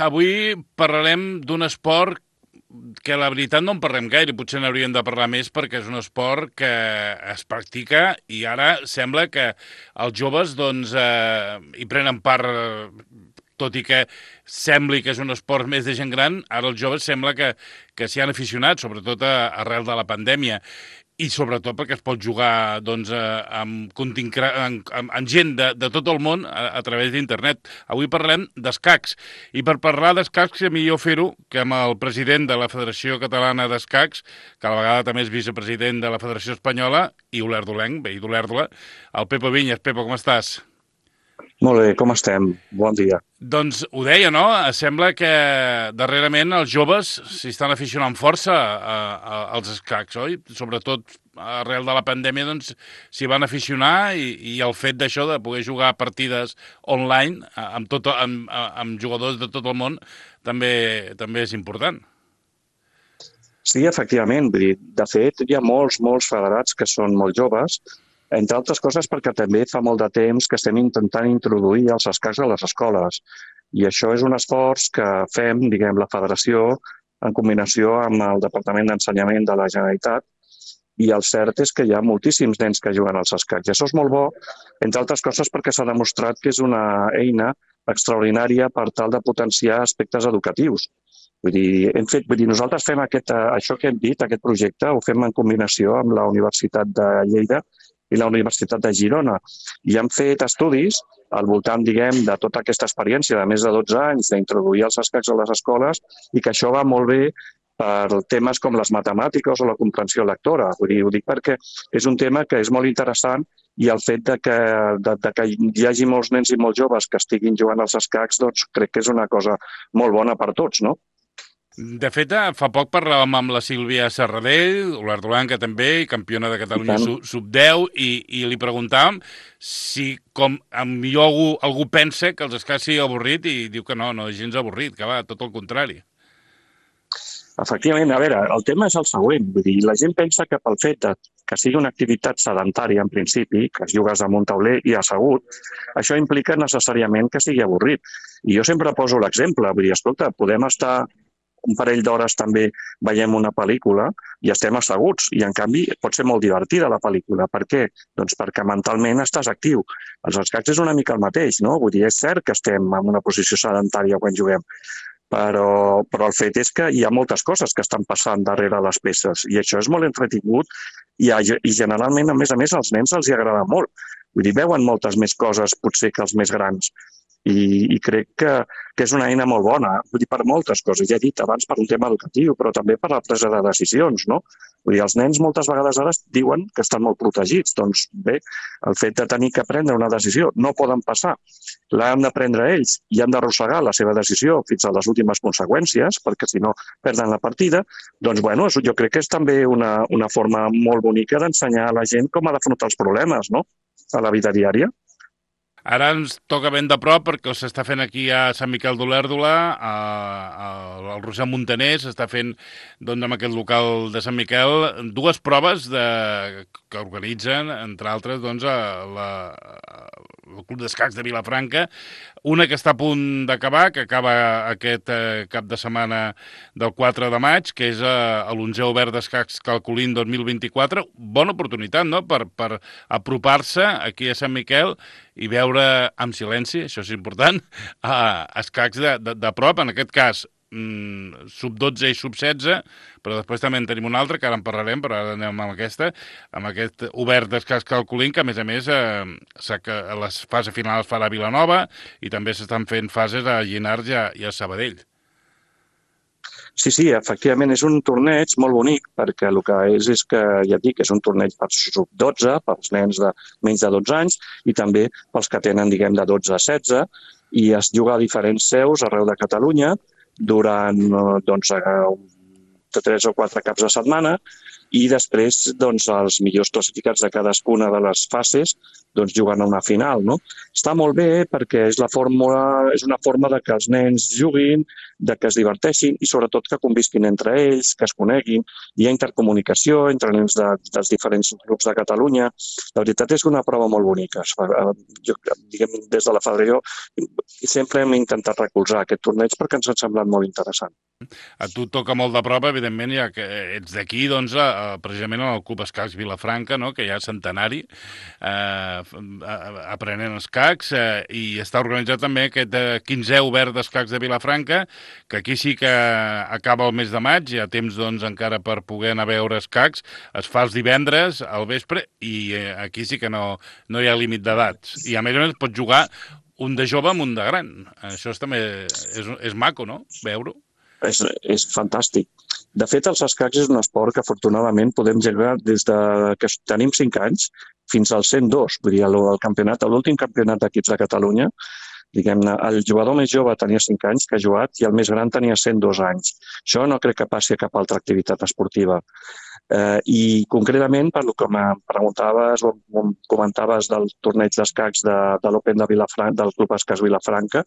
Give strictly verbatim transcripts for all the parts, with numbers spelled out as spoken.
avui parlarem d'un esport que la veritat no en parlem gaire, potser n'hauríem de parlar més perquè és un esport que es practica i ara sembla que els joves doncs, eh, hi prenen part, tot i que sembli que és un esport més de gent gran, ara els joves sembla que, que s'hi han aficionat, sobretot a, arrel de la pandèmia. I sobretot perquè es pot jugar doncs, amb, amb, amb, amb gent de, de tot el món a, a través d'internet. Avui parlem d'escacs. I per parlar d'escacs, és millor fer-ho que amb el president de la Federació Catalana d'Escacs, que a la vegada també és vicepresident de la Federació Espanyola, i olerdolenc, veí d'Olèrdola, el Pepo Viñas. Pepo, com estàs? Molt bé, com estem? Bon dia. Doncs ho deia, no? Sembla que darrerament els joves s'hi estan aficionant força a, a, als escacs, oi? Sobretot arrel de la pandèmia doncs s'hi van aficionar i, i el fet d'això de poder jugar partides online amb, tot, amb, amb jugadors de tot el món també també és important. Sí, efectivament. De fet, hi ha molts, molts federats que són molt joves, entre altres coses perquè també fa molt de temps que estem intentant introduir els escacs a les escoles. I això és un esforç que fem, diguem, la federació en combinació amb el Departament d'Ensenyament de la Generalitat, i el cert és que hi ha moltíssims nens que juguen als escacs. I això és molt bo, entre altres coses perquè s'ha demostrat que és una eina extraordinària per tal de potenciar aspectes educatius. Vull dir, hem fet, vull dir, nosaltres fem aquest, això que hem dit, aquest projecte, ho fem en combinació amb la Universitat de Lleida i la Universitat de Girona. I hem fet estudis al voltant, diguem, de tota aquesta experiència de més de dotze anys d'introduir els escacs a les escoles i que això va molt bé per temes com les matemàtiques o la comprensió lectora. Vull dir, ho dic perquè és un tema que és molt interessant i el fet de que, de, de que hi hagi molts nens i molts joves que estiguin jugant als escacs, doncs crec que és una cosa molt bona per tots, no? De fet, fa poc parlàvem amb la Sílvia Serradell, olerdolenca també, campiona de Catalunya sub deu, i, i li preguntàvem si, com millor algú, algú pensa que els escacs sigui avorrit i diu que no, no és gens avorrit, que va, tot el contrari. Efectivament, a veure, el tema és el següent, vull dir, la gent pensa que pel fet de que sigui una activitat sedentària en principi, que es jugues amb un tauler i assegut, això implica necessàriament que sigui avorrit. I jo sempre poso l'exemple, vull dir, escolta, podem estar un parell d'hores també veiem una pel·lícula i estem asseguts i, en canvi, pot ser molt divertida la pel·lícula. Per què? Doncs perquè mentalment estàs actiu. Els escacs és una mica el mateix, no? Vull dir, és cert que estem en una posició sedentària quan juguem, però, però el fet és que hi ha moltes coses que estan passant darrere les peces i això és molt entretingut i, i generalment, a més a més, als nens els hi agrada molt. Vull dir, veuen moltes més coses potser que els més grans. I, i crec que, que és una eina molt bona, vull dir, per moltes coses. Ja he dit abans per un tema educatiu, però també per la presa de decisions, no? Vull dir, els nens moltes vegades ara diuen que estan molt protegits. Doncs bé, el fet de tenir que prendre una decisió no poden passar. L'han de prendre ells i han d'arrossegar la seva decisió fins a les últimes conseqüències, perquè si no perden la partida. Doncs bueno, jo crec que és també una, una forma molt bonica d'ensenyar a la gent com ha d'afrontar els problemes, no?, a la vida diària. Ara ens toca ben de prop perquè s'està fent aquí a Sant Miquel d'Olèrdola, al Roser Montaner, s'està fent doncs, amb aquest local de Sant Miquel dues proves de, que organitzen, entre altres, doncs, a la, el Club d'Escacs de Vilafranca, una que està a punt d'acabar, que acaba aquest eh, cap de setmana del quatre de maig, que és eh, l'onzè obert d'escacs Calcolín dos mil vint-i-quatre. Bona oportunitat, no?, per, per apropar-se aquí a Sant Miquel i veure amb silenci, això és important, a escacs de, de, de prop, en aquest cas mm, sub dotze i sub setze, però després també en tenim una altra, que ara en parlarem, però ara anem amb aquesta, amb aquest obert d'escacs Calcolín, que a més a més eh, que a la fase final es farà a Vilanova i també s'estan fent fases a Llinars i a, i a Sabadell. Sí, sí, efectivament és un torneig molt bonic perquè el que és és que, ja et dic, és un torneig per sub dotze, pels nens de menys de dotze anys i també pels que tenen, diguem, de dotze a setze i es juga a diferents seus arreu de Catalunya durant doncs, tres o quatre caps de setmana, i després doncs, els millors classificats de cadascuna de les fases doncs, juguen a una final. No? Està molt bé perquè és, la fórmula, és una forma de que els nens juguin, de que es diverteixin i sobretot que convisquin entre ells, que es coneguin. Hi ha intercomunicació entre nens de, dels diferents grups de Catalunya. La veritat és una prova molt bonica. Jo, diguem, des de la federació sempre hem intentat recolzar aquest torneig perquè ens ha semblat molt interessant. A tu toca molt de prova, evidentment, ja que ets d'aquí, doncs, eh, precisament al Club Escacs Vilafranca, no?, que ja és centenari, eh, aprenent escacs, eh, i està organitzat també aquest quinzè obert d'escacs de Vilafranca, que aquí sí que acaba el mes de maig, hi ha temps, doncs, encara per poder anar a veure escacs, es fa els divendres al vespre, i eh, aquí sí que no, no hi ha límit d'edats. I a més a més pots jugar un de jove amb un de gran. Això és, també és, és maco, no?, veure-ho. És, és fantàstic. De fet, els escacs és un esport que afortunadament podem jugar des de que tenim cinc anys fins als cent dos. Vull dir, el, el campionat, l'últim campionat d'equips de Catalunya, diguem-ne, el jugador més jove tenia cinc anys que ha jugat i el més gran tenia cent dos anys. Això no crec que passi a cap altra activitat esportiva. Eh, I concretament, per el que em preguntaves o em comentaves del torneig d'escacs de, de l'Open de Vilafranca, del Club Escacs Vilafranca,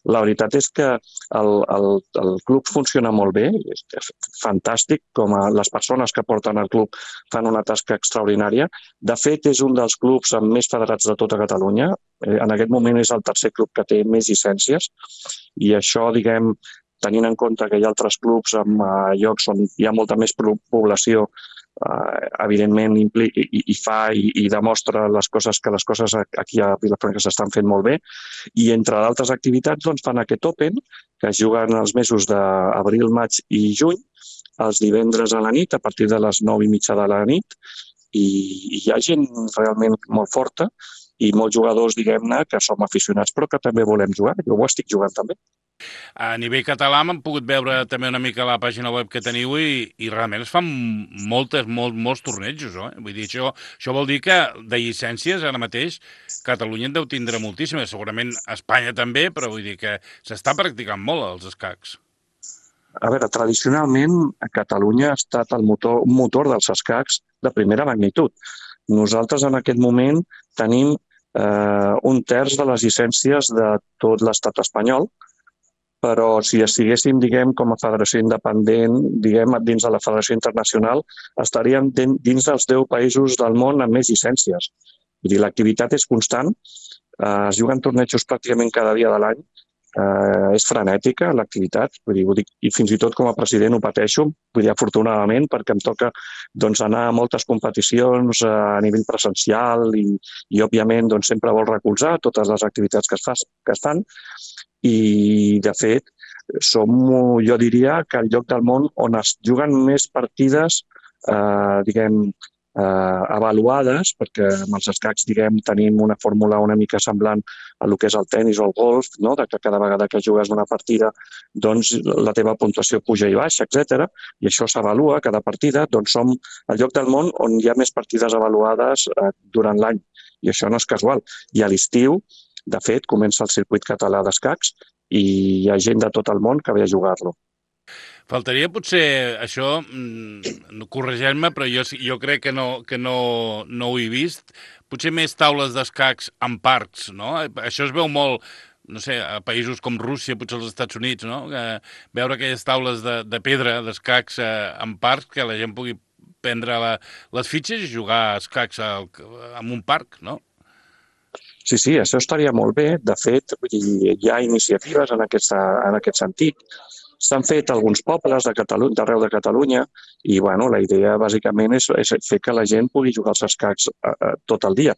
la veritat és que el, el, el club funciona molt bé, és, és fantàstic, com a les persones que porten el club fan una tasca extraordinària. De fet, és un dels clubs amb més federats de tota Catalunya. Eh, en aquest moment és el tercer club que té més llicències i això, diguem, tenint en compte que hi ha altres clubs en uh, llocs on hi ha molta més població, Uh, evidentment impli i, i fa i, i demostra les coses que les coses aquí a Vilafranca s'estan fent molt bé, i entre d'altres activitats doncs, fan aquest Open que es juguen els mesos d'abril, maig i juny, els divendres a la nit a partir de les nou i mitja de la nit, i, i hi ha gent realment molt forta i molts jugadors, diguem-ne, que som aficionats però que també volem jugar. Jo ho estic jugant també. A nivell català m'han pogut veure també una mica la pàgina web que teniu i, i realment es fan moltes, molt, molts tornejos. Eh? Vull dir, això, això vol dir que de llicències ara mateix Catalunya en deu tindre moltíssimes. Segurament Espanya també, però vull dir que s'està practicant molt els escacs. A veure, tradicionalment a Catalunya ha estat el motor, un motor dels escacs de primera magnitud. Nosaltres en aquest moment tenim eh, un terç de les llicències de tot l'estat espanyol, però si estiguéssim, diguem, com a federació independent, diguem, dins de la federació internacional, estaríem dins dels deu països del món amb més llicències. Vull dir, l'activitat és constant, eh, es juguen tornejos pràcticament cada dia de l'any, eh, és frenètica l'activitat, vull dir, vull dir, i fins i tot com a president ho pateixo, vull dir, afortunadament, perquè em toca doncs, anar a moltes competicions a nivell presencial i, i òbviament, doncs, sempre vol recolzar totes les activitats que es, fa, que es fan, i, de fet, som, jo diria, que el lloc del món on es juguen més partides, eh, diguem, eh, avaluades, perquè amb els escacs, diguem, tenim una fórmula una mica semblant a el que és el tennis o el golf, no? De que cada vegada que jugues una partida, doncs la teva puntuació puja i baixa, etcètera. I això s'avalua cada partida, doncs som el lloc del món on hi ha més partides avaluades eh, durant l'any. I això no és casual. I a l'estiu, de fet, comença el circuit català d'escacs i hi ha gent de tot el món que ve a jugar-lo. Faltaria potser això, no corregeix-me, però jo, jo crec que, no, que no, no ho he vist, potser més taules d'escacs en parcs, no? Això es veu molt, no sé, a països com Rússia, potser als Estats Units, no? Que veure aquelles taules de, de pedra, d'escacs eh, en parcs, que la gent pugui prendre la, les fitxes i jugar a escacs al, en un parc, no? Sí, sí, això estaria molt bé. De fet, hi ha iniciatives en aquest, en aquest sentit. S'han fet alguns pobles de Catalunya, d'arreu de Catalunya i bueno, la idea bàsicament és, és fer que la gent pugui jugar als escacs eh, tot el dia.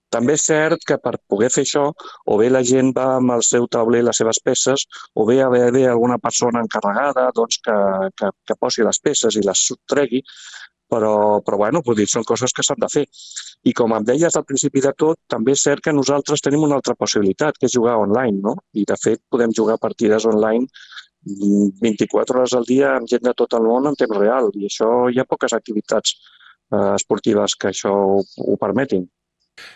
També és cert que per poder fer això, o bé la gent va amb el seu tauler, les seves peces, o bé haver bé alguna persona encarregada doncs, que, que, que posi les peces i les subtregui, però, però bueno, vull dir, són coses que s'han de fer. I com em deies al principi de tot, també és cert que nosaltres tenim una altra possibilitat, que és jugar online, no? I de fet podem jugar partides online vint-i-quatre hores al dia amb gent de tot el món en temps real. I això hi ha poques activitats eh, esportives que això ho, ho permetin.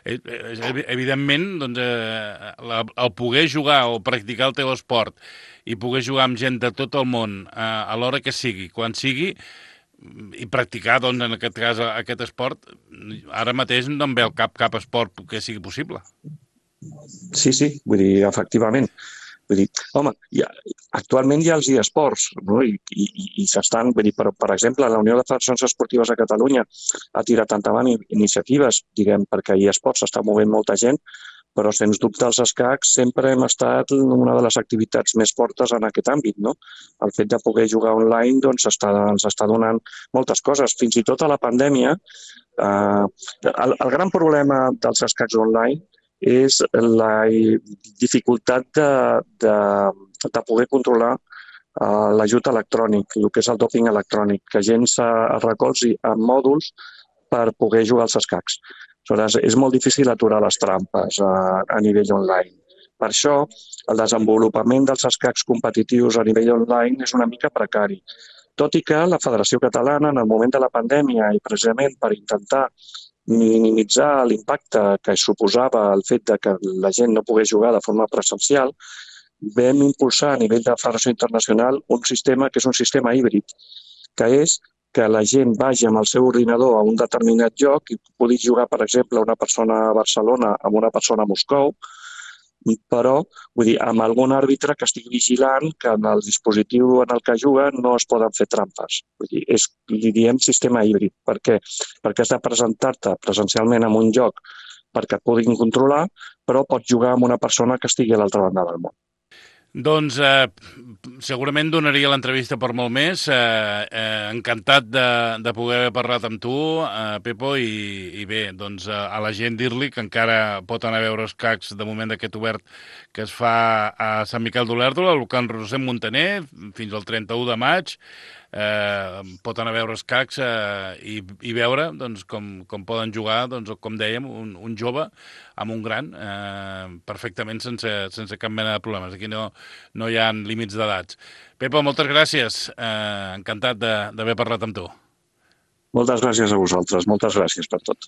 Eh, eh, Evidentment, doncs, eh, la, el poder jugar o practicar el teu esport i poder jugar amb gent de tot el món eh, a l'hora que sigui, quan sigui, i practicar, doncs, en aquest cas, aquest esport, ara mateix no em ve al cap cap esport que sigui possible. Sí, sí, vull dir, efectivament. Vull dir, home, ha, actualment hi ha els eSports, no? I, i, i s'estan, vull dir, per, per exemple, la Unió de Federacions Esportives de Catalunya ha tirat endavant iniciatives, diguem, perquè eSports s'està movent molta gent, però sens dubte els escacs sempre hem estat una de les activitats més fortes en aquest àmbit, no? El fet de poder jugar online doncs, està, ens està donant moltes coses. Fins i tot a la pandèmia, eh, el, el gran problema dels escacs online és la dificultat de, de, de poder controlar uh, l'ajut electrònic, el que és el doping electrònic, que gent es recolzi en mòduls per poder jugar als escacs. Aleshores, és molt difícil aturar les trampes a, a nivell online. Per això, el desenvolupament dels escacs competitius a nivell online és una mica precari. Tot i que la Federació Catalana, en el moment de la pandèmia, i precisament per intentar minimitzar l'impacte que suposava el fet de que la gent no pogués jugar de forma presencial, vam impulsar a nivell de Federació Internacional un sistema que és un sistema híbrid, que és que la gent vagi amb el seu ordinador a un determinat lloc i pugui jugar, per exemple, una persona a Barcelona amb una persona a Moscou, però vull dir, amb algun àrbitre que estigui vigilant que en el dispositiu en el que juga no es poden fer trampes. Vull dir, és, li diem sistema híbrid. Per què? Perquè has de presentar-te presencialment en un lloc perquè et puguin controlar, però pots jugar amb una persona que estigui a l'altra banda del món. Doncs eh, segurament donaria l'entrevista per molt més. Eh, eh, encantat de, de poder haver parlat amb tu, eh, Pepo, i, i bé, doncs eh, a la gent dir-li que encara pot anar a veure escacs de moment d'aquest obert que es fa a Sant Miquel d'Olèrdola, al local Roser Montaner, fins al trenta-u de maig. Eh, pot anar a veure escacs eh, i, i veure doncs, com, com poden jugar, doncs, com dèiem, un, un jove amb un gran, eh, perfectament sense, sense cap mena de problemes. Aquí no, no hi ha límits d'edats. Pepa, moltes gràcies. Eh, encantat d'haver parlat amb tu. Moltes gràcies a vosaltres. Moltes gràcies per tot.